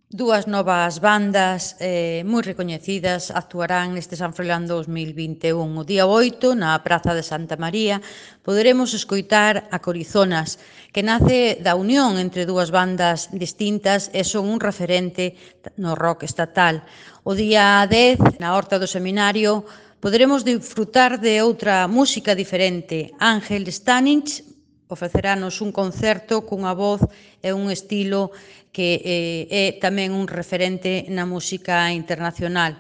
Dúas novas bandas moi recoñecidas actuarán neste San Froilán 2021. O día 8, na Praza de Santa María, poderemos escoitar a Corizonas, que nace da unión entre dúas bandas distintas e son un referente no rock estatal. O día 10, na Horta do Seminario, poderemos disfrutar de outra música diferente. Ángel Stanich ofreceranos un concerto cunha voz e un estilo que é tamén un referente na música internacional.